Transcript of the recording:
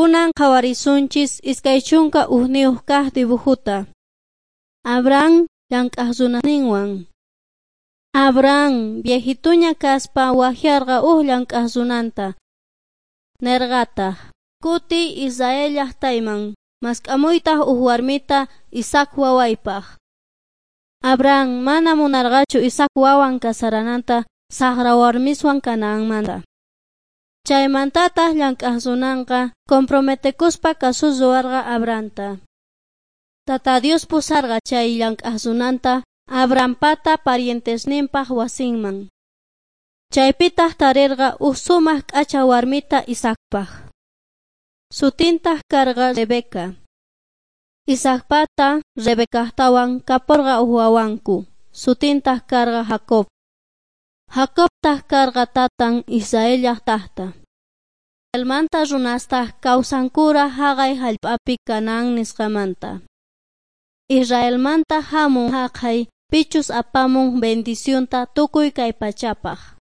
Kunan qhawarisunchis 21 kaq dibujuta. Abraham llank'aq runasninwan. Abraham viejituña kaspa wajyarqa uj llank'aq runanta. Nerqataq: Kutiy Israel llaqtayman, mask'amuytaq uj warmita Isaac wawaypaq. Abraham mana munarqachu Isaac wawan kasarananta saqra warmiswan Canaanmanta. Chaymantataq llank'aq runanqa comprometekuspa kasus ruwarqa Abrahamta. Tata Dios pusarqa chay llank'aq runanta Abrahampata parientesninpaq wasinman. Chaypitaq tarirqa uj sumaq k'acha warmita Isaacpaq. Sutintaq karqa Rebeca. Isaacpata Rebecajtawan kaporqa uj wawanku, sutintaq karqa Jacob. Jacobtaq karqa tatan Israel llaqtajta. Israelmanta runastaq kawsankura haqay hallp'api Canaán nisqamanta. Israelmanta hamun haqay pichus apamun bendicionta tukuy kay pachapaq.